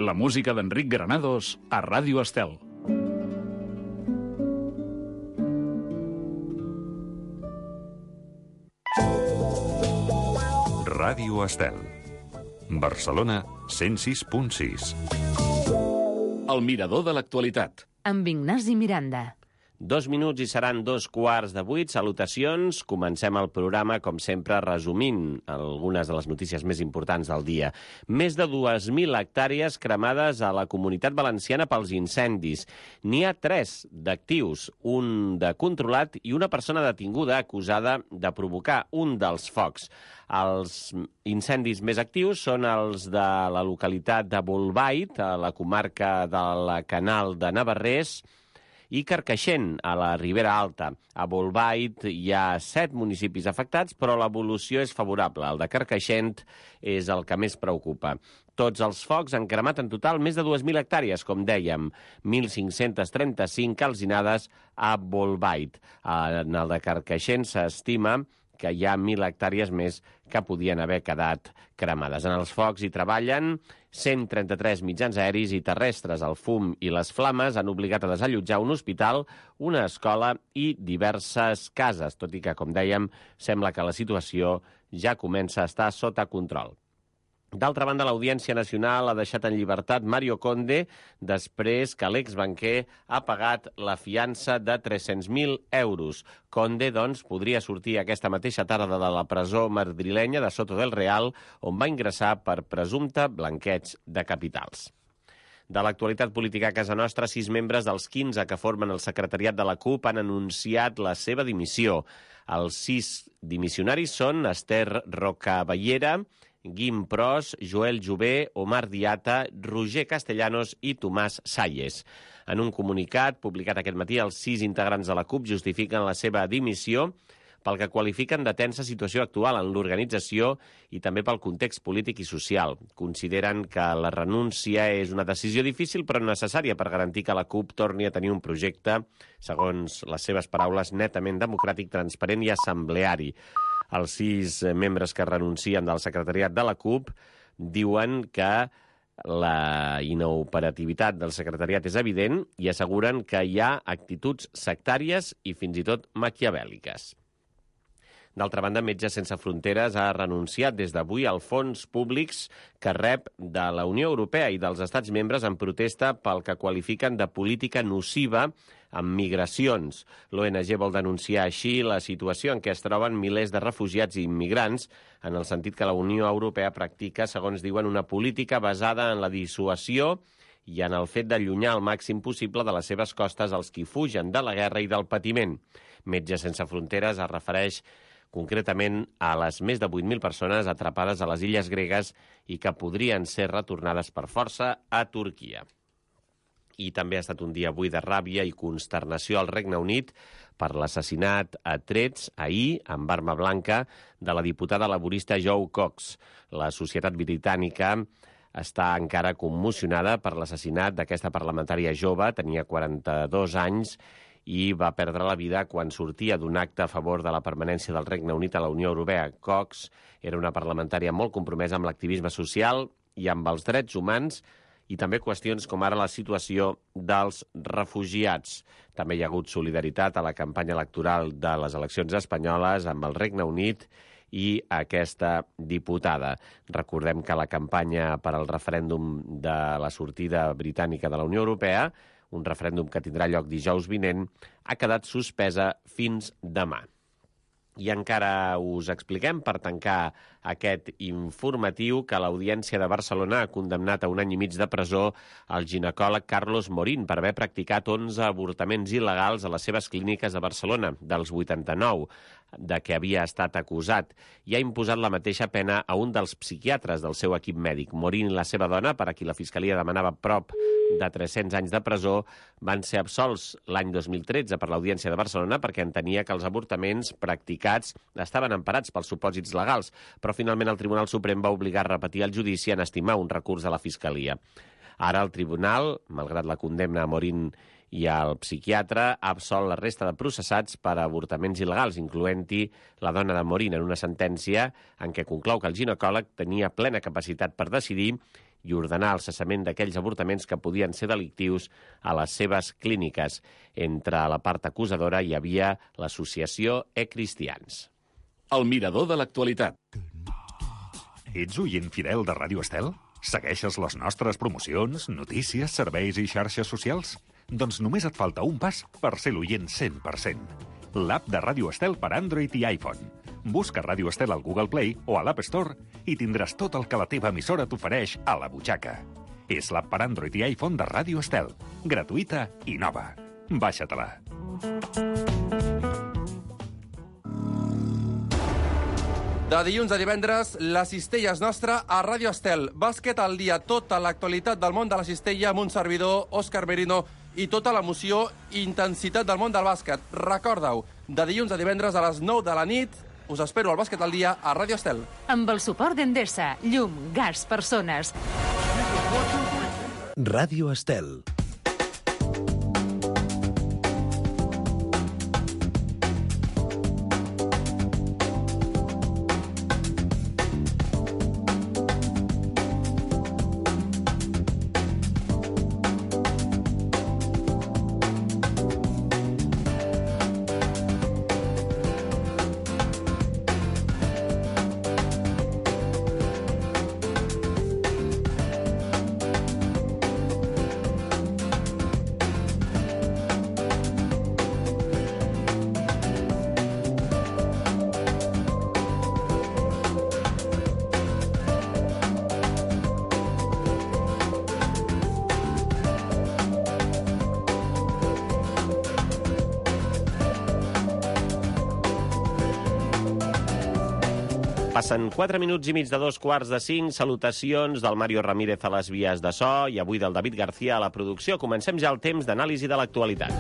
La música d'Enric Granados a Ràdio Estel. Ràdio Estel. Barcelona 106.6. El mirador de l'actualitat. Amb Ignasi Miranda. 2 minuts i seran 2:15. Salutacions. Comencem el programa, com sempre, resumint algunes de les notícies més importants del dia. Més de 2.000 hectàrees cremades a la Comunitat Valenciana pels incendis. N'hi ha 3 d'actius, un de controlat i una persona detinguda acusada de provocar un dels focs. Els incendis més actius són els de la localitat de Bolbait, a la comarca del Canal de Navarrés, i Carcaixent, a la Ribera Alta. A Bolbait hi ha 7 municipis afectats, però l'evolució és favorable. El de Carcaixent és el que més preocupa. Tots els focs han cremat en total més de 2.000 hectàrees, com dèiem, 1.535 calcinades a Bolbait. En el de Carcaixent s'estima que hi ha 1.000 hectàrees més que podien haver quedat cremades. En els focs hi treballen 133 mitjans aeris i terrestres. El fum i les flames han obligat a desallotjar un hospital, una escola i diverses cases, tot i que, com dèiem, sembla que la situació ja comença a estar sota control. D'altra banda, l'Audiència Nacional ha deixat en llibertat Mario Conde després que l'exbanquer ha pagat la fiança de 300.000 euros. Conde, doncs, podria sortir aquesta mateixa tarda de la presó madrilenya de Soto del Real, on va ingressar per presumpte blanqueig de capitals. De l'actualitat política a casa nostra, 6 membres dels 15 que formen el secretariat de la CUP han anunciat la seva dimissió. Els 6 dimissionaris són Esther Rocabellera, Guim Pros, Joel Jové, Omar Diata, Roger Castellanos i Tomàs Salles. En un comunicat publicat aquest matí, els 6 integrants de la CUP justifiquen la seva dimissió pel que qualifiquen de tensa situació actual en l'organització i també pel context polític i social. Consideren que la renúncia és una decisió difícil però necessària per garantir que la CUP torni a tenir un projecte, segons les seves paraules, netament democràtic, transparent i assembleari. Els 6 membres que renuncien del secretariat de la CUP diuen que la inoperativitat del secretariat és evident i asseguren que hi ha actituds sectàries i fins i tot maquiavèl·liques. D'altra banda, Metges Sense Fronteres ha renunciat des d'avui als fons públics que rep de la Unió Europea i dels estats membres en protesta pel que qualifiquen de política nociva amb migracions. L'ONG vol denunciar així la situació en què es troben milers de refugiats i immigrants, en el sentit que la Unió Europea practica, segons diuen, una política basada en la dissuasió i en el fet d'allunyar al màxim possible de les seves costes els qui fugen de la guerra i del patiment. Metges Sense Fronteres es refereix concretament a les més de 8.000 persones atrapades a les illes gregues i que podrien ser retornades per força a Turquia. I també ha estat un dia avui de ràbia i consternació al Regne Unit per l'assassinat a trets ahir, amb arma blanca, de la diputada laborista Jo Cox. La societat britànica està encara commocionada per l'assassinat d'aquesta parlamentària jove, tenia 42 anys, i va perdre la vida quan sortia d'un acte a favor de la permanència del Regne Unit a la Unió Europea. Cox era una parlamentària molt compromesa amb l'activisme social i amb els drets humans i també qüestions com ara la situació dels refugiats. També hi ha hagut solidaritat a la campanya electoral de les eleccions espanyoles amb el Regne Unit i aquesta diputada. Recordem que la campanya per al referèndum de la sortida britànica de la Unió Europea, un referèndum que tindrà lloc dijous vinent, ha quedat suspesa fins demà. I encara us expliquem, per tancar aquest informatiu, que l'Audiència de Barcelona ha condemnat a 1 any i mig de presó el ginecòleg Carlos Morín per haver practicat 11 avortaments il·legals a les seves clíniques de Barcelona, dels 89 de què havia estat acusat, i ha imposat la mateixa pena a un dels psiquiatres del seu equip mèdic. Morín i la seva dona, per a qui la Fiscalia demanava prop de 300 anys de presó, van ser absolts l'any 2013 per l'Audiència de Barcelona perquè entenia que els avortaments practicats estaven emparats pels supòsits legals, però finalment el Tribunal Suprem va obligar a repetir el judici en estimar un recurs de la Fiscalia. Ara el tribunal, malgrat la condemna a Morín i el psiquiatre, ha absolt la resta de processats per avortaments il·legals, incloent-hi la dona de Morín, en una sentència en què conclou que el ginecòleg tenia plena capacitat per decidir i ordenar el cessament d'aquells avortaments que podien ser delictius a les seves clíniques. Entre la part acusadora hi havia l'associació E-Cristians. El mirador de l'actualitat. Ets oient fidel de Ràdio Estel? Segueixes les nostres promocions, notícies, serveis i xarxes socials? Doncs només et falta un pas per ser l'oient 100%. L'app de Ràdio Estel per Android i iPhone. Busca Ràdio Estel al Google Play o a l'App Store i tindràs tot el que la teva emissora t'ofereix a la butxaca. És l'app per Android i iPhone de Ràdio Estel. Gratuïta i nova. Baixa-te-la. De dilluns a divendres, la cistella és nostra a Ràdio Estel. Bàsquet al dia, tota l'actualitat del món de la cistella amb un servidor, Òscar Merino, i tota l'emoció i intensitat del món del bàsquet. Recorda-ho, de dilluns a divendres a les 9 de la nit, us espero al Bàsquet al dia a Ràdio Estel. Amb el suport d'Endesa, llum, gas, persones. Ràdio Estel. Passen 4 minuts i mig de 2:45. Salutacions del Mario Ramírez a les vies de so i avui del David García a la producció. Comencem ja el temps d'anàlisi de l'actualitat.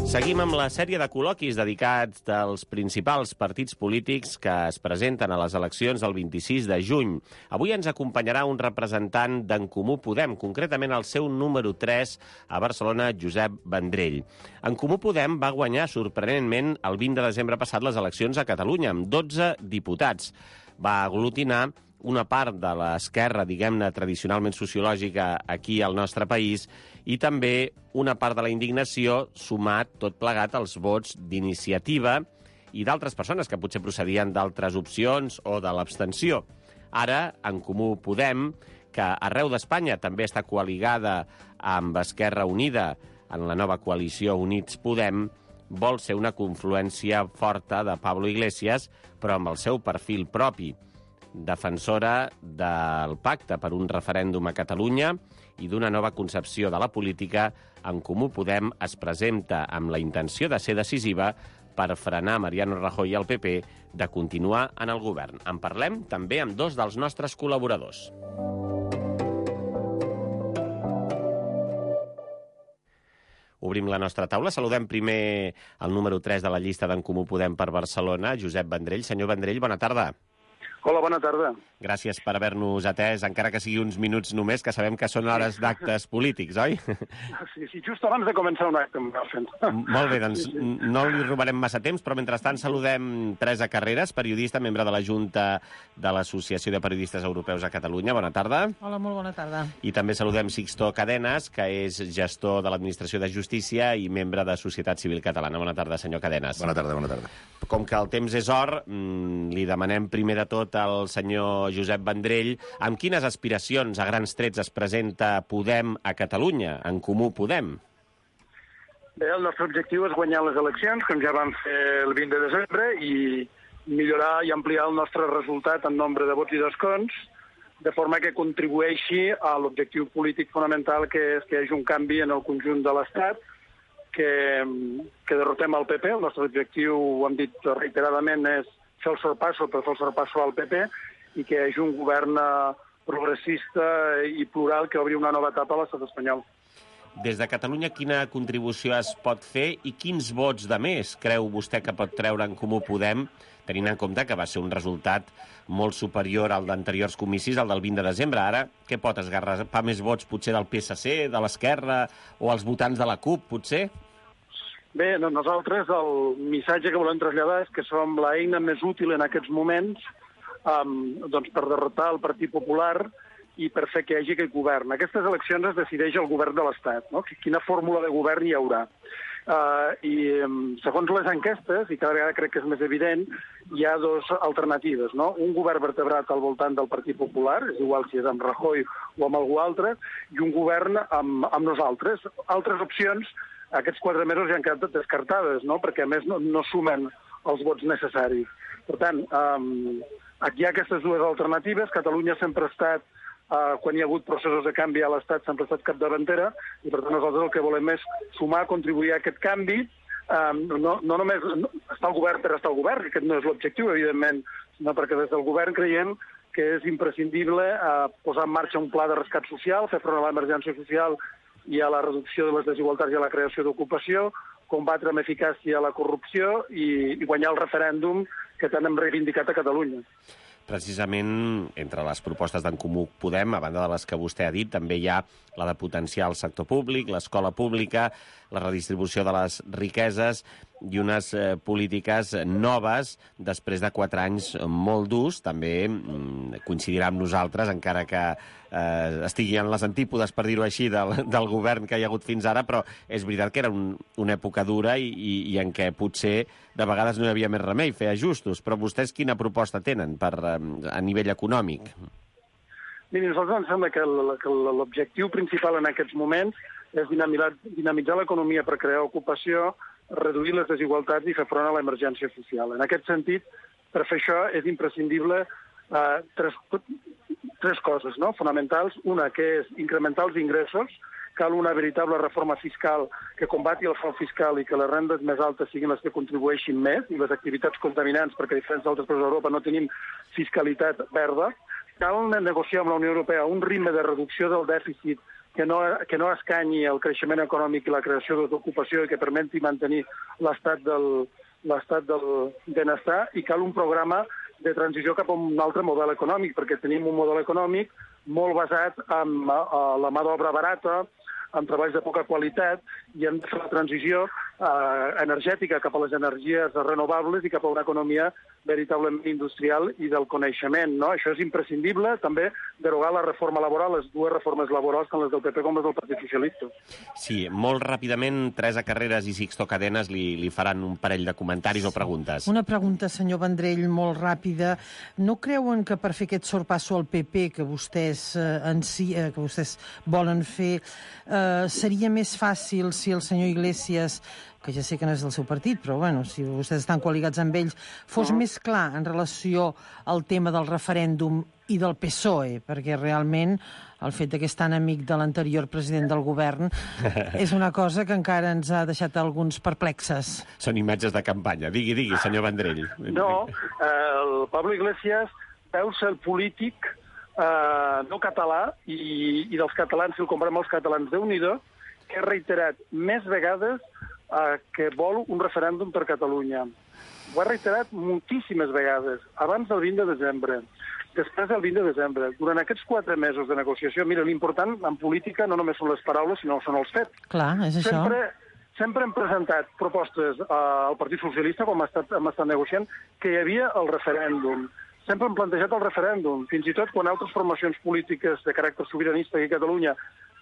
Seguim amb la sèrie de col·loquis dedicats als principals partits polítics que es presenten a les eleccions del 26 de juny. Avui ens acompanyarà un representant d'En Comú Podem, concretament el seu número 3 a Barcelona, Josep Vendrell. En Comú Podem va guanyar sorprenentment el 20 de desembre passat les eleccions a Catalunya, amb 12 diputats. Va aglutinar una part de l'esquerra, diguem-ne, tradicionalment sociològica aquí al nostre país i també una part de la indignació sumat tot plegat als vots d'Iniciativa i d'altres persones que potser procedien d'altres opcions o de l'abstenció. Ara, En Comú Podem, que arreu d'Espanya també està coaligada amb Esquerra Unida en la nova coalició Units Podem, vol ser una confluència forta de Pablo Iglesias, però amb el seu perfil propi. Defensora del pacte per un referèndum a Catalunya i d'una nova concepció de la política, En Comú Podem es presenta amb la intenció de ser decisiva per frenar Mariano Rajoy i el PP de continuar en el govern. En parlem també amb dos dels nostres col·laboradors. Obrim la nostra taula. Saludem primer el número 3 de la llista d'En Comú Podem per Barcelona, Josep Vendrell. Senyor Vendrell, bona tarda. Hola, bona tarda. Gràcies per haver-nos atès, encara que sigui uns minuts només, que sabem que són hores d'actes polítics, oi? Sí, just abans de començar un acte em va fent. Molt bé, doncs no li robarem massa temps, però mentrestant saludem Teresa Carreras, periodista, membre de la Junta de l'Associació de Periodistes Europeus a Catalunya. Bona tarda. Hola, molt bona tarda. I també saludem Sixto Cadenas, que és gestor de l'Administració de Justícia i membre de Societat Civil Catalana. Bona tarda, senyor Cadenas. Bona tarda, bona tarda. Com que el temps és or, li demanem primer de tot al senyor Josep Vendrell amb quines aspiracions a grans trets es presenta Podem a Catalunya, En Comú Podem. Bé, el nostre objectiu és guanyar les eleccions, com ja vam fer el 20 de desembre, i millorar i ampliar el nostre resultat en nombre de vots i d'escons, de forma que contribueixi a l'objectiu polític fonamental, que és que hi hagi un canvi en el conjunt de l'Estat, que derrotem el PP. El nostre objectiu, ho hem dit reiteradament, és fer el sorpasso per fer el sorpasso al PP i que hi hagi un govern progressista i plural que obri una nova etapa a l'estat espanyol. Des de Catalunya, quina contribució es pot fer i quins vots de més creu vostè que pot treure En Comú Podem, tenint en compte que va ser un resultat molt superior al d'anteriors comicis, al del 20 de desembre. Ara, què pot esgarrapar més vots, potser del PSC, de l'Esquerra o els votants de la CUP, potser? Bé, nosaltres el missatge que volem traslladar és que som l'eina més útil en aquests moments per derrotar el Partit Popular i per fer que hi hagi aquest govern. Aquestes eleccions es decideix el govern de l'Estat, no? Quina fórmula de govern hi haurà. I segons les enquestes, i cada vegada crec que és més evident, hi ha dues alternatives, no? Un govern vertebrat al voltant del Partit Popular, és igual si és amb Rajoy o amb algú altre, i un govern amb nosaltres. Altres opcions, aquests 4 mesos ja han quedat descartades, no? Perquè a més no sumen els vots necessaris. Per tant, aquí hi ha aquestes dues alternatives. Catalunya sempre ha estat, quan hi ha hagut processos de canvi a l'Estat, sempre ha estat capdavantera, i per tant nosaltres el que volem és sumar, contribuir a aquest canvi. No només estar al govern per estar al govern, que aquest no és l'objectiu, evidentment, sinó perquè des del govern creiem que és imprescindible posar en marxa un pla de rescat social, fer front a l'emergència social i a la reducció de les desigualtats i a la creació d'ocupació, combatre amb eficàcia la corrupció i guanyar el referèndum que tant hem reivindicat a Catalunya. Precisament, entre les propostes d'en Comú Podem, a banda de les que vostè ha dit, també hi ha la de potenciar el sector públic, l'escola pública, la redistribució de les riqueses i unes polítiques noves després de 4 anys molt durs. També coincidirà amb nosaltres, encara que estigui en les antípodes, per dir-ho així, del govern que hi ha hagut fins ara, però és veritat que era una època dura i en què potser de vegades no hi havia més remei fer ajustos. Però vostès quina proposta tenen a nivell econòmic? Miri, a nosaltres ens sembla que l'objectiu principal en aquests moments és dinamitzar l'economia per crear ocupació, reduir les desigualtats i fer front a l'emergència social. En aquest sentit, per fer això és imprescindible tres coses, no? Fonamentals. Una, que és incrementar els ingressos. Cal una veritable reforma fiscal que combati el frau fiscal i que les rendes més altes siguin les que contribueixin més i les activitats contaminants, perquè a diferència d'altres països d'Europa no tenim fiscalitat verda. Cal negociar amb la Unió Europea un ritme de reducció del dèficit que no escanyi el creixement econòmic i la creació d'ocupació i que permeti mantenir l'estat del benestar, i cal un programa de transició cap a un altre model econòmic, perquè tenim un model econòmic molt basat en la mà d'obra barata, amb treballs de poca qualitat, i hem de fer la transició energètica cap a les energies renovables i cap a una economia veritablement industrial i del coneixement, no? Això és imprescindible. També derogar la reforma laboral, les dues reformes laborals, tant les del PP com les del Partit Socialista. Sí, molt ràpidament, Teresa Carreras i Sixto Cadenas li faran un parell de comentaris o preguntes. Una pregunta, senyor Vendrell, molt ràpida. No creuen que per fer aquest sorpasso al PP que vostès volen fer seria més fàcil si el senyor Iglesias, que ja sé que no és del seu partit, però bueno, si vostès estan coligats amb ells, fos més clar en relació al tema del referèndum i del PSOE, perquè realment el fet que és tan amic de l'anterior president del govern és una cosa que encara ens ha deixat alguns perplexes. Són imatges de campanya. Digui, senyor Vendrell. No, el Pablo Iglesias deu ser el polític no català i dels catalans, si el comparem amb els catalans, Déu-n'hi-do, que ha reiterat més vegades que vol un referèndum per Catalunya. Ho ha reiterat moltíssimes vegades, abans del 20 de desembre, després del 20 de desembre. Durant aquests 4 mesos de negociació, mira, l'important en política no només són les paraules, sinó són els fets. Clar, és això. Sempre hem presentat propostes al Partit Socialista, com hem estat negociant, que hi havia el referèndum. Sempre hem plantejat el referèndum, fins i tot quan altres formacions polítiques de caràcter sobiranista aquí a Catalunya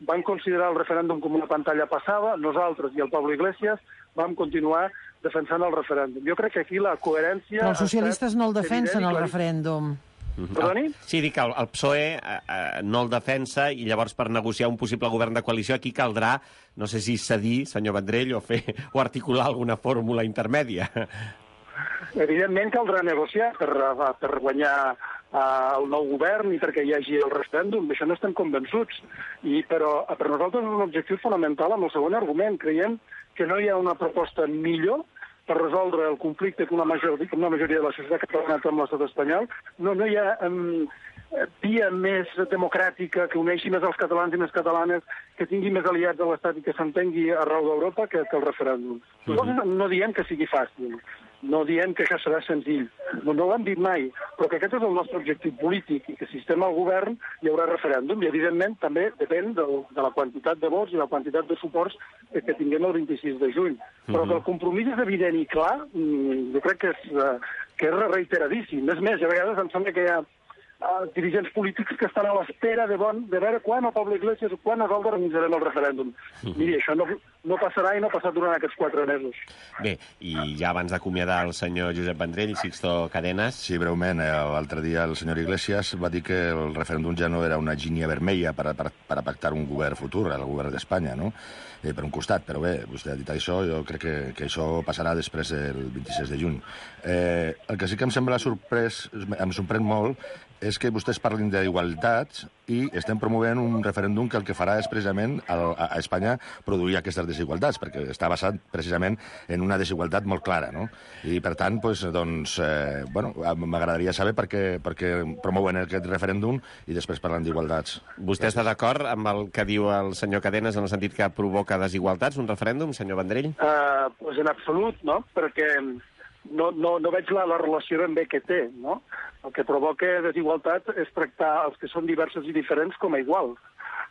van considerar el referèndum com una pantalla passada, nosaltres i el Pablo Iglesias vam continuar defensant el referèndum. Jo crec que aquí la coherència... Però els socialistes no el defensen, el referèndum. Perdoni? Sí, dic que el PSOE no el defensa i llavors per negociar un possible govern de coalició aquí caldrà, no sé si cedir, senyor Vendrell, o articular alguna fórmula intermèdia. Evidentment caldrà negociar per guanyar el nou govern i perquè hi hagi el referèndum. D'això no estem convençuts. Però per nosaltres és un objectiu fonamental amb el segon argument. Creiem que no hi ha una proposta millor per resoldre el conflicte que una majoria de la societat catalana amb l'estat espanyol. No hi ha via més democràtica que uneixi més els catalans i les catalanes, que tingui més aliats a l'estat i que s'entengui arreu d'Europa que el referèndum. Nosaltres no diem que sigui fàcil. No diem que això serà senzill, no ho hem dit mai, però que aquest és el nostre objectiu polític i que si estem al govern hi haurà referèndum i, evidentment, també depèn de la quantitat de vots i la quantitat de suports que tinguem el 26 de juny. Però que el compromís és evident i clar, jo crec que que és reiteradíssim. És més, a vegades em sembla que hi ha dirigents polítics que estan a l'espera de veure quan el Pablo Iglesias o quan nosaltres organitzarem el referèndum. Miri, això no passarà i no ha passat durant aquests 4 mesos. Bé, i ja abans d'acomiadar el senyor Josep Vendrell, Sixto Cadenas... Sí, breument. L'altre dia el senyor Iglesias va dir que el referèndum ja no era una línia vermella per a pactar un govern futur, el govern d'Espanya, no? Per un costat, però bé, vostè ha dit això, jo crec que això passarà després del 26 de juny. El que sí que em sembla em sorprèn molt és que vostès parlin d'igualtat i estem promovent un referèndum que el que farà és precisament a Espanya produir aquestes desigualtats, perquè està basat precisament en una desigualtat molt clara, no? I per tant, m'agradaria saber per què promouen aquest referèndum i després parlen d'igualtats. Vostè està d'acord amb el que diu el senyor Cadenas en el sentit que provoca desigualtats, un referèndum, senyor Vendrell? Pues en absolut, no? Perquè no veig la relació ben bé que té, no? El que provoca desigualtat és tractar els que són diversos i diferents com a iguals.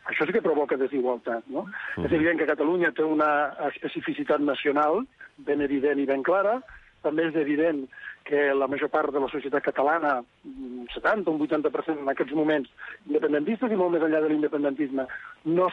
Això sí que provoca desigualtat, no? És evident que Catalunya té una especificitat nacional ben evident i ben clara. També és evident que la major part de la societat catalana, un 70 o un 80% en aquests moments, independentistes i molt més enllà de l'independentisme, no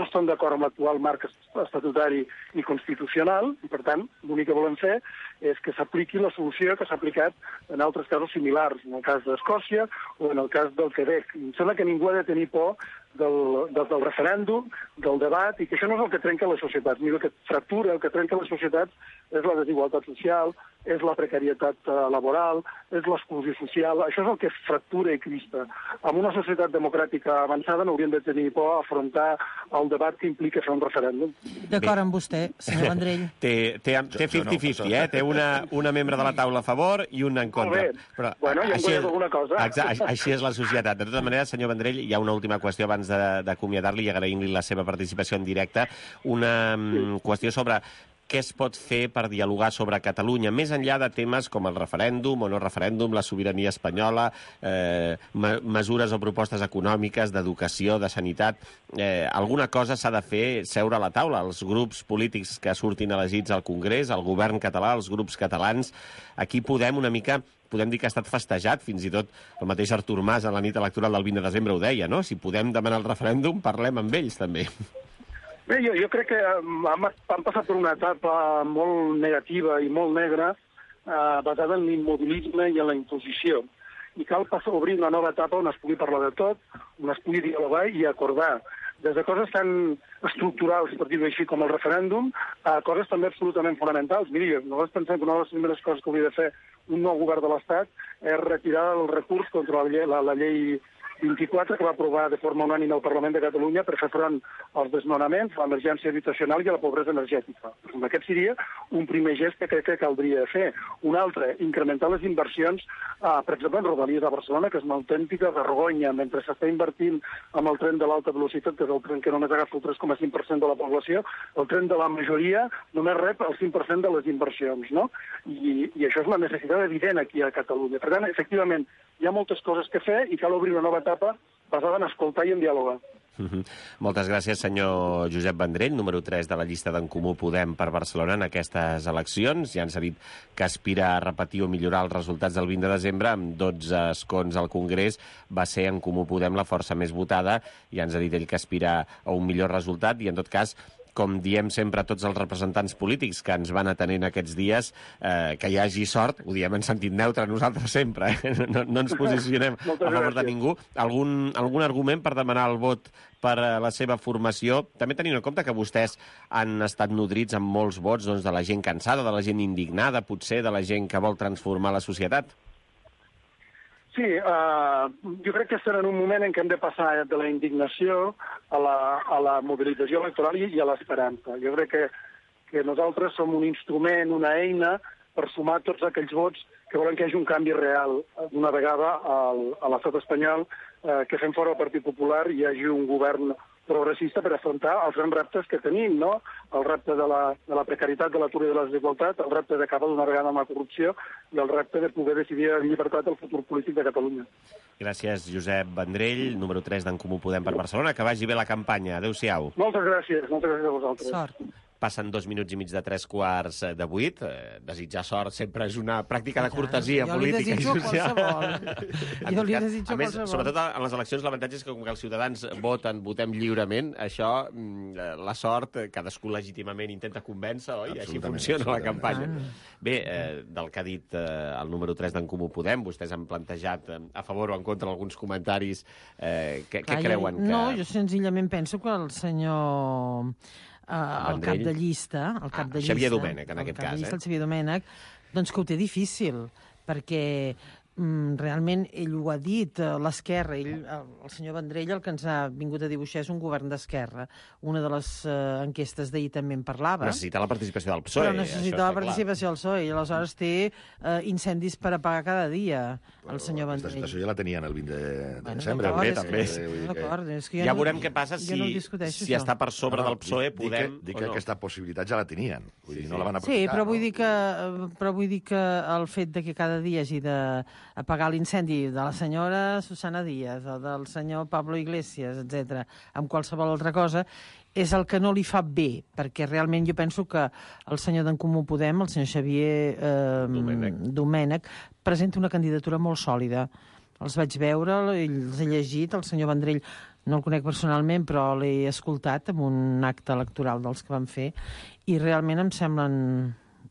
estan d'acord amb l'actual marc estatutari i constitucional, i per tant l'únic que volem fer és que s'apliqui la solució que s'ha aplicat en altres casos similars, en el cas d'Escòcia o en el cas del Quebec. Em sembla que ningú ha de tenir por del referèndum, del debat, i que això no és el que trenca les societats. El que fractura, el que trenca les societats és la desigualtat social, és la precarietat laboral, és l'exclusió social. Això és el que fractura i crispa. En una societat democràtica avançada no hauríem de tenir por a afrontar el debat que implica fer un referèndum. D'acord amb vostè, senyor Vendrell. Té 50-50, té una membre de la taula a favor i una en contra. Molt bé. Però, bueno, ja em guanyat alguna cosa. Així és la societat. De totes maneres, senyor Vendrell, hi ha una última qüestió abans d'acomiadar-li i agraint-li la seva participació en directe. Una qüestió sobre què es pot fer per dialogar sobre Catalunya, més enllà de temes com el referèndum o no referèndum, la sobirania espanyola, mesures o propostes econòmiques, d'educació, de sanitat. Alguna cosa s'ha de fer seure a la taula. Els grups polítics que surtin elegits al Congrés, el govern català, els grups catalans, aquí podem una mica... Podem dir que ha estat festejat, fins i tot el mateix Artur Mas a la nit electoral del 20 de desembre ho deia, no? Si podem demanar el referèndum, parlem amb ells, també. Bé, jo crec que han passat per una etapa molt negativa i molt negra, basada en l'immobilisme i en la imposició. I cal obrir una nova etapa on es pugui parlar de tot, on es pugui dialogar i acordar. Des de coses tan estructurals, per dir-ho així, com el referèndum, a coses també absolutament fonamentals. Miri, nosaltres pensem que una de les primeres coses que hauria de fer un nou govern de l'Estat és retirar el recurs contra la llei 24, que va aprovar de forma unànime el Parlament de Catalunya per fer front als desnonaments, a l'emergència habitacional i a la pobresa energètica. Aquest seria un primer gest que crec que caldria fer. Un altre, incrementar les inversions, per exemple, en Rodalies a Barcelona, que és una autèntica vergonya, mentre s'està invertint amb el tren de l'alta velocitat, que és el tren que només agafa el 3,5% de la població, el tren de la majoria només rep el 5% de les inversions, no? I això és una necessitat evident aquí a Catalunya. Per tant, efectivament, hi ha moltes coses que fer i cal obrir una nova etapa basada en escoltar i en dialogar. Moltes gràcies, senyor Josep Vendrell, número 3 de la llista d'en Comú Podem per Barcelona en aquestes eleccions. Ja ens ha dit que aspira a repetir o millorar els resultats del 20 de desembre. Amb 12 escons al Congrés va ser en Comú Podem la força més votada. Ja ens ha dit ell que aspira a un millor resultat i, en tot cas, com diem sempre a tots els representants polítics que ens van atenent aquests dies, que hi hagi sort, ho diem en sentit neutre nosaltres sempre, no ens posicionem a favor de ningú. Algun argument per demanar el vot per a la seva formació, també tenint en compte que vostès han estat nodrits amb molts vots de la gent cansada, de la gent indignada, potser de la gent que vol transformar la societat? Sí, jo crec que estem en un moment en què hem de passar de la indignació a la mobilització electoral i a l'esperança. Jo crec que nosaltres som un instrument, una eina per sumar tots aquells vots que volen que hi hagi un canvi real d'una vegada a l'estat espanyol, que fem fora el Partit Popular i hi hagi un govern progressista per afrontar els grans reptes que tenim, no? El repte de la precarietat, de l'atur i de la desigualtat, el repte d'acabar d'una vegada amb la corrupció i el repte de poder decidir en llibertat el futur polític de Catalunya. Gràcies, Josep Vendrell, número 3 d'en Comú Podem per Barcelona. Que vagi bé la campanya. Adéu-siau. Moltes gràcies a vosaltres. Sort. Passen 2 minuts i mig de 7:45. Desitjar sort sempre és una pràctica de cortesia política i social. Jo li desitjo a més, qualsevol. sobretot en les eleccions, l'avantatge és que com que els ciutadans votem lliurement, això, la sort, cadascú legítimament intenta convèncer, oi? I així funciona la campanya. Bé, del que ha dit el número 3 d'en Comú Podem, vostès han plantejat a favor o en contra alguns comentaris. Què creuen que... No, jo senzillament penso que el senyor... el cap de llista... Xavier Domènech, en aquest cas. El Xavier Domènech, doncs que ho té difícil, perquè realment ell ho ha dit, l'esquerra, el senyor Vendrell el que ens ha vingut a dibuixar és un govern d'esquerra. Una de les enquestes d'ahir també en parlava. Necessita la participació del PSOE. Però necessita la participació del PSOE, i aleshores té incendis per apagar cada dia, el senyor Vendrell. Aquesta situació ja la tenien el 20 de desembre. També. Ja veurem què passa si està per sobre del PSOE. Dic que aquesta possibilitat ja la tenien. Vull dir, no la van aprofitar. Sí, però vull dir que el fet de que cada dia hagi de apagar l'incendi de la senyora Susana Díaz o del senyor Pablo Iglesias, etc., amb qualsevol altra cosa, és el que no li fa bé, perquè realment jo penso que el senyor d'en Comú Podem, el senyor Xavier Domènech, presenta una candidatura molt sòlida. Els vaig veure, els he llegit, el senyor Vendrell no el conec personalment, però l'he escoltat en un acte electoral dels que van fer, i realment em semblen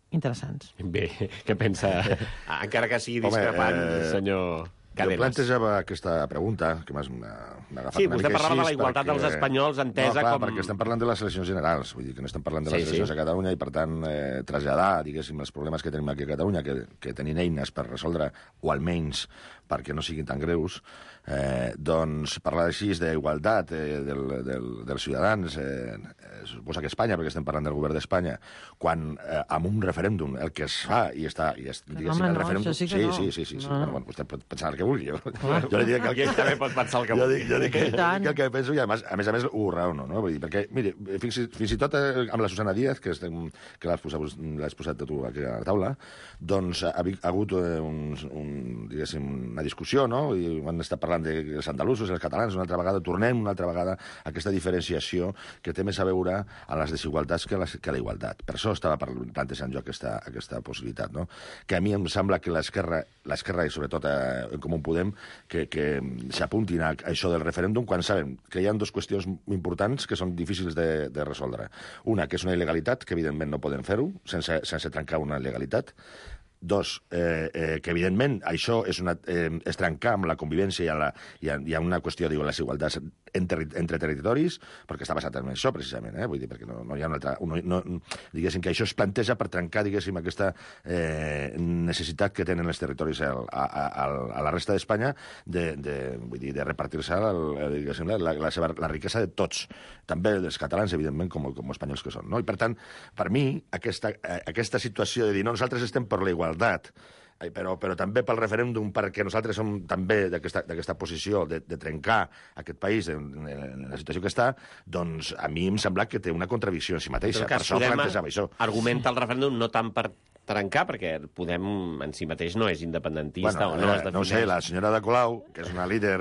interessants. Bé, què pensa? Encara que sigui discrepant, senyor Cadenas. Jo plantejava aquesta pregunta, que m'ha agafat sí, una mica així. Sí, vostè parlava de la igualtat dels espanyols entesa com... perquè estem parlant de les eleccions generals, vull dir que no estem parlant de les eleccions a Catalunya, i per tant traslladar, diguéssim, els problemes que tenim aquí a Catalunya, que tenim eines per resoldre, o almenys perquè no siguin tan greus, doncs parlar així d'igualtat dels ciutadans, suposa que Espanya, perquè estem parlant del govern d'Espanya, quan amb un referèndum el que es fa i està, diguéssim, el referèndum... Sí, bueno, vostè pot pensar el que vulgui. Jo li dic que ell també pot pensar el que vulgui. Jo dic el que penso i, a més, ho raono, no? Vull dir, perquè, mire, fins i tot amb la Susana Díaz, que l'has posat tu aquí a la taula, doncs ha hagut diguéssim, una discussió, no? I han estat parlant dels andalusos, els catalans, una altra vegada a aquesta diferenciació que té més a veure amb les desigualtats que la igualtat. Per això estava plantejant jo aquesta possibilitat, no? Que a mi em sembla que l'esquerra i sobretot en Comú Podem que s'apuntin a això del referèndum quan saben que hi ha dues qüestions importants que són difícils de resoldre. Una, que és una il·legalitat, que evidentment no poden fer-ho sense trencar una legalitat. Dos, que evidentment això és trencar amb la convivència i hi ha una qüestió, diu, les igualtats entre territoris, perquè està basat en això, precisament, vull dir, perquè no hi ha una altra... diguéssim que això es planteja per trencar, diguéssim, aquesta necessitat que tenen els territoris a la resta d'Espanya de repartir-se la riquesa de tots, també dels catalans, evidentment, com espanyols que són, no? I, per tant, per mi, aquesta situació de dir, no, nosaltres estem per la igualtat, però també pel referèndum, perquè nosaltres som també d'aquesta posició de trencar aquest país en la situació que està, doncs a mi em sembla que té una contradicció en si mateixa. Per això plantejava això. Argumenta el referèndum no tant per trencar, perquè Podem en si mateix no és independentista o no es defineix. No sé, la senyora de Colau, que és una líder,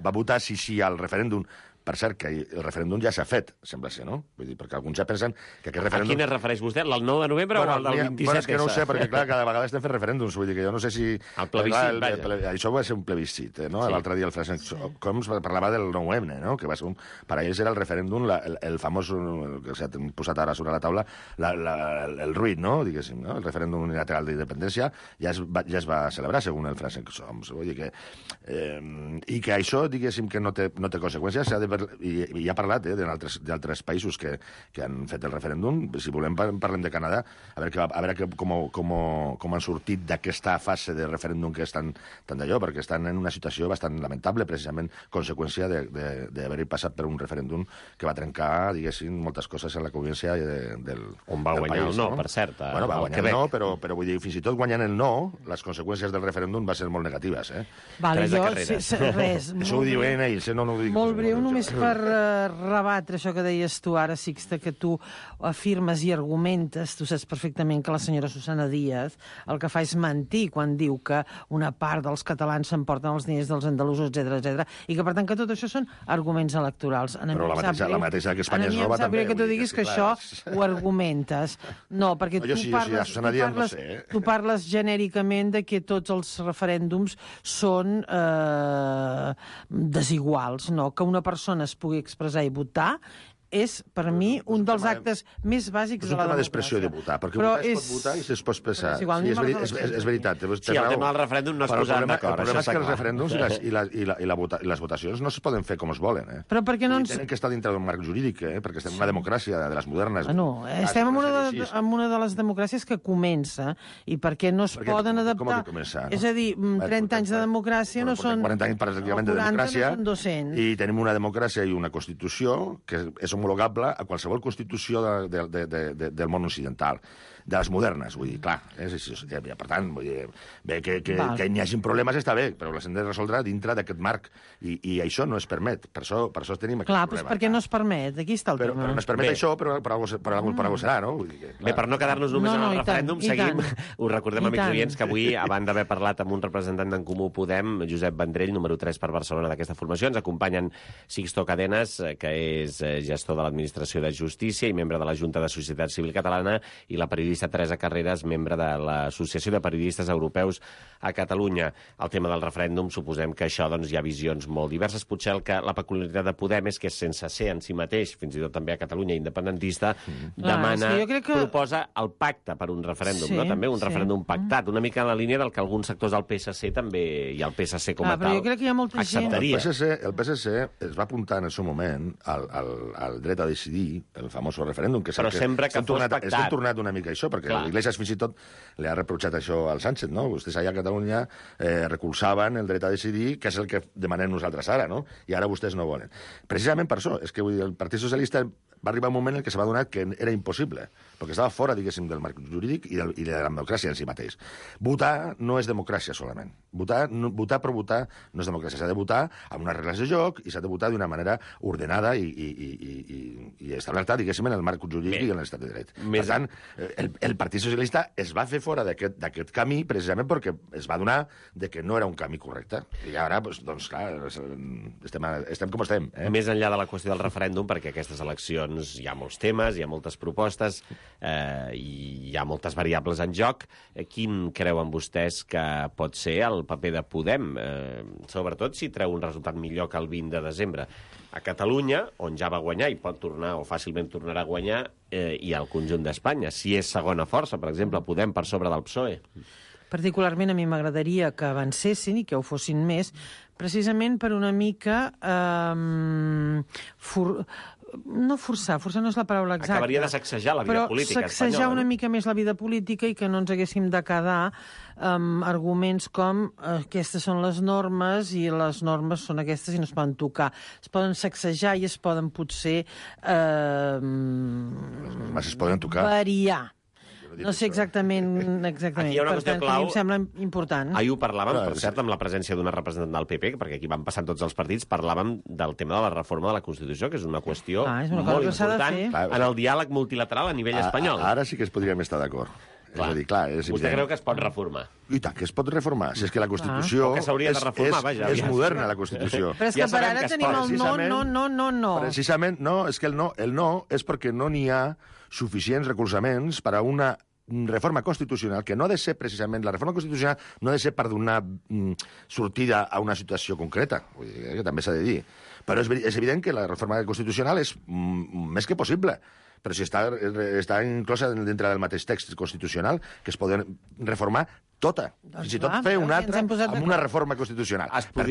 va votar sí al referèndum. Per cert, que el referèndum ja s'ha fet, sembla ser, no? Vull dir, perquè alguns ja pensen que aquest referèndum... A quin es refereix vostè? El 9 de novembre o el del 27? Bueno, és que no ho sé, perquè clar, cada vegada estem fent referèndums, vull dir que jo no sé si... El plebiscit, vaja. Això va ser un plebiscit, no? Sí. L'altre dia el Francesc Homs parlava del 9M, no? Que va ser per a ells era el referèndum, el famós, que s'ha posat ara sobre la taula, el ruït, no? Diguéssim, no? El referèndum unilateral d'independència ja es va celebrar, segons el Francesc Homs. Vull dir que... I que això, diguéssim, que no té conseqüències, i ha parlat d'altres països que han fet el referèndum. Si volem, parlem de Canadà, a veure com han sortit d'aquesta fase de referèndum que estan tan d'allò, perquè estan en una situació bastant lamentable, precisament conseqüència d'haver passat per un referèndum que va trencar, diguéssim, moltes coses en la convivència del país. On va guanyar el no, per cert. Bueno, va guanyar el no, però vull dir, fins i tot guanyant el no, les conseqüències del referèndum van ser molt negatives. Vale, jo, res. Això ho diuen ells, no ho dic. Molt breu, només només per rebatre això que deies tu ara, Sixte, que tu afirmes i argumentes, tu saps perfectament que la senyora Susana Díaz el que fa és mentir quan diu que una part dels catalans s'emporten els diners dels andalusos, etc, i que, per tant, que tot això són arguments electorals. Però la mateixa que Espanya es roba també. Que tu diguis que això ho argumentes. No, perquè tu parles genèricament de que tots els referèndums són desiguals, no? Que una persona es pugui expressar i votar és, per mi, un dels actes més bàsics de la democràcia. És un tema d'expressió de votar, perquè votar es pot votar i es pot expressar. És veritat. Sí, el tema del referèndum no es posaran d'acord. El problema és que els referèndums i les votacions no es poden fer com es volen. Però per què no ens... Tenen que estar dintre d'un marc jurídic, perquè estem en una democràcia de les modernes. Estem en una de les democràcies que comença, i per què no es poden adaptar... És a dir, 30 anys de democràcia no són... 40 anys pràcticament de democràcia, i tenim una democràcia i una Constitució que és homologable a qualsevol constitució del món occidental, de les modernes, vull dir, clar. Per tant, que n'hi hagi problemes està bé, però les hem de resoldre dintre d'aquest marc, i això no es permet. Per això tenim aquest problema. Clar, perquè no es permet, aquí està el tema. Però no es permet això, però per alguna serà, no? Bé, per no quedar-nos només en el referèndum, seguim. Us recordem, amics oients, que avui, abans d'haver parlat amb un representant d'en Comú Podem, Josep Vendrell, número 3 per Barcelona d'aquesta formació, ens acompanyen Sixto Cadenas, que és gestor de l'Administració de Justícia i membre de la Junta de Societat Civil Catalana, i la periodista Teresa Carreras, membre de l'Associació de Periodistes Europeus a Catalunya. El tema del referèndum, suposem que això hi ha visions molt diverses. Potser la peculiaritat de Podem és que, sense ser en si mateix, fins i tot també a Catalunya independentista, proposa el pacte per un referèndum, no? També un referèndum pactat, una mica en la línia del que alguns sectors del PSC també, i el PSC com a tal, jo crec que hi ha molta acceptaria. El PSC es va apuntar en el seu moment al dret a decidir, el famós referèndum, que però sempre que fos pactat. S'ha tornat una mica això, perquè l'Iglesias fins i tot li ha reprotxat això al Sánchez, no? Vostès allà a Catalunya recolzaven el dret a decidir, que és el que demanem nosaltres ara, no? I ara vostès no volen. Precisament per això, és que el Partit Socialista va arribar un moment en què se va adonar que era impossible, perquè estava fora, diguéssim, del marc jurídic i de la democràcia en si mateix. Votar no és democràcia solament. Votar per votar no és democràcia. S'ha de votar amb unes regles de joc i s'ha de votar d'una manera ordenada i establerta, diguéssim, en el marc jurídic i en l'estat de dret. Per tant, el Partit Socialista es va fer fora d'aquest camí precisament perquè es va adonar que no era un camí correcte. I ara, doncs, clar, estem com estem. Més enllà de la qüestió del referèndum, perquè aquestes eleccions hi ha molts temes, hi ha moltes propostes, i hi ha moltes variables en joc. Quin creuen vostès que pot ser el paper de Podem? Sobretot si treu un resultat millor que el 20 de desembre. A Catalunya, on ja va guanyar i pot tornar, o fàcilment tornarà a guanyar, i al conjunt d'Espanya. Si és segona força, per exemple, Podem per sobre del PSOE. Particularment a mi m'agradaria que avancessin i que ho fossin més, precisament per una mica... no forçar no és la paraula exacta. Acabaria de sacsejar la vida política espanyola. Però sacsejar una mica més la vida política i que no ens haguéssim de quedar amb arguments com aquestes són les normes i les normes són aquestes i no es poden tocar. Es poden sacsejar i es poden potser es poden tocar. Variar. No sé exactament. Aquí hi ha una qüestió clau. Em sembla important. Ahir ho parlàvem, per cert, amb la presència d'una representant del PP, perquè aquí van passant tots els partits, parlàvem del tema de la reforma de la Constitució, que és una qüestió molt important en el diàleg multilateral a nivell espanyol. Ara sí que es podríem estar d'acord. És a dir, clar, és vostè creu que es pot reformar? I tant, que es pot reformar. Si és que la Constitució és moderna, la Constitució. Però és que per ara tenim el no. Precisament, no, és que el no és perquè no n'hi ha suficients recolzaments per a una reforma constitucional, que no ha de ser precisament... La reforma constitucional no ha de ser per donar sortida a una situació concreta, vull dir, que també s'ha de dir. Però és evident que la reforma constitucional és més que possible. Però si està inclosa dintre del mateix text constitucional, que es poden reformar tota. Fins i tot fer una altra amb una reforma constitucional. Per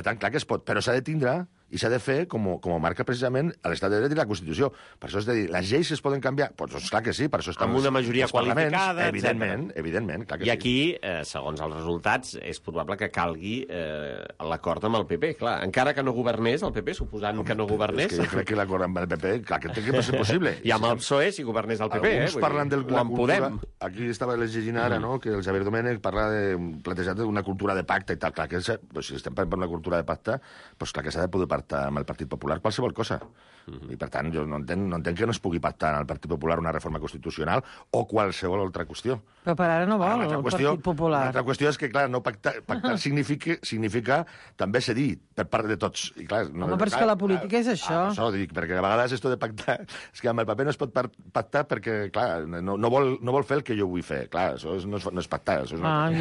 tant, clar que es pot, però s'ha de tindre i s'ha de fer com marca precisament l'estat de dret i la Constitució. Per això és de dir, les lleis es poden canviar? Doncs clar que sí, per això estan amb una majoria qualificada, evidentment. I aquí, segons els resultats, és probable que calgui l'acord amb el PP. Clar, encara que no governés el PP, suposant que no governés... És que jo crec que l'acord amb el PP, clar, que té que ser possible. I amb el PSOE, si governés el PP. Alguns parlen de la cultura... Aquí estava llegint ara, no?, que el Xavier Domènech parla de plantejar una cultura de pacte i tal. Clar, que si estem parlant per una cultura de pacte, doncs clar que s'ha de poder partir pactar amb el Partit Popular qualsevol cosa. I, per tant, jo no entenc que no es pugui pactar en el Partit Popular una reforma constitucional o qualsevol altra qüestió. Però per ara no vol el Partit Popular. L'altra qüestió és que, clar, no pactar significa també cedir per part de tots. I, clar, home, però és que la política és això. Això dic, perquè a vegades esto de pactar... És que amb el paper no es pot pactar perquè, clar, no vol fer el que jo vull fer. Clar, això no és pactar. Això és una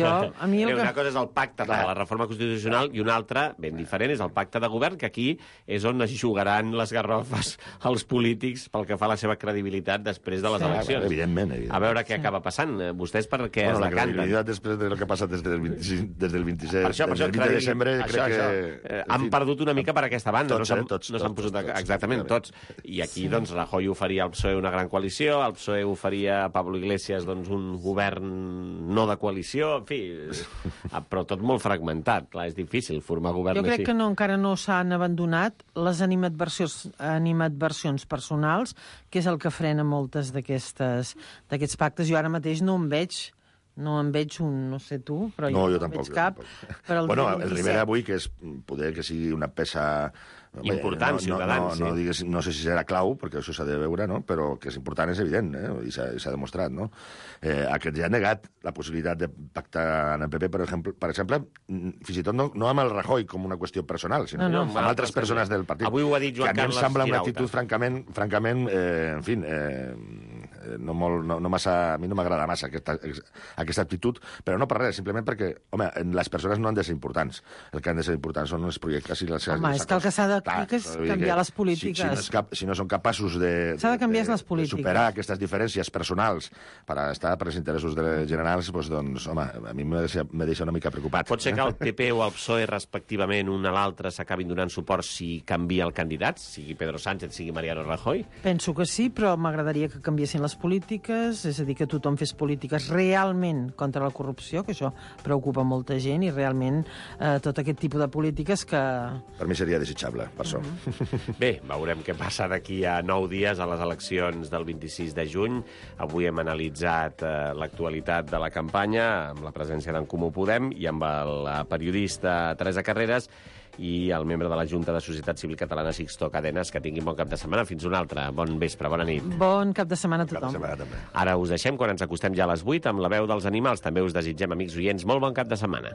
cosa és el pacte de la reforma constitucional i una altra, ben diferent, és el pacte de govern, que aquí és on es jugaran les garrofes als polítics pel que fa a la seva credibilitat després de les eleccions. Evidentment. A veure què acaba passant. Vostès per què es decanten? La credibilitat després del que ha passat des del 26, des del 27, des del 20 de desembre, crec que... Han perdut una mica per aquesta banda. Tots. No s'han posat... Exactament, tots. I aquí, doncs, Rajoy oferia al PSOE una gran coalició, el PSOE oferia a Pablo Iglesias doncs, un govern no de coalició, en fi, però tot molt fragmentat. Clar, és difícil formar govern així. Jo crec que encara no s'han abandonat les animadversions personals, que és el que frena moltes d'aquests pactes. Jo ara mateix no en veig un, no sé tu, però jo no tampoc, veig cap. Bueno, el Rivera avui, que és poder que sigui una peça... important, Ciutadans. No sé si serà clau, perquè això s'ha de veure, no? Però que és important és evident, i s'ha demostrat, no? Aquest ja ha negat la possibilitat de pactar en el PP, per exemple, fins i tot no amb el Rajoy com una qüestió personal, sinó amb altres persones del partit. Avui ho ha dit Joan Carles Girauta. Que a mi em sembla una actitud francament, en fi, a mi no m'agrada massa aquesta actitud, però no per res, simplement perquè, home, les persones no han de ser importants. El que han de ser importants són els projectes i les... Home, és que el que s'ha de canviar les polítiques. Si no són capaços de superar aquestes diferències personals per estar per als interessos generals, doncs, home, a mi me deixa una mica preocupat. Pot ser que el PP o el PSOE, respectivament, un a l'altre, s'acabin donant suport si canvia el candidat, sigui Pedro Sánchez, sigui Mariano Rajoy? Penso que sí, però m'agradaria que canviessin les polítiques, és a dir, que tothom fes polítiques realment contra la corrupció, que això preocupa molta gent, i realment tot aquest tipus de polítiques que... Per mi seria desitjable, per això. Bé, veurem què passa d'aquí a 9 dies a les eleccions del 26 de juny. Avui hem analitzat l'actualitat de la campanya amb la presència d'en Comú Podem i amb la periodista Teresa Carreras i el membre de la Junta de Societat Civil Catalana, Sixto Cadenas. Que tinguin bon cap de setmana. Fins un altre. Bon vespre, bona nit. Bon cap de setmana a tothom. Ara us deixem quan ens acostem ja a les 8 amb la veu dels animals. També us desitgem, amics oients, molt bon cap de setmana.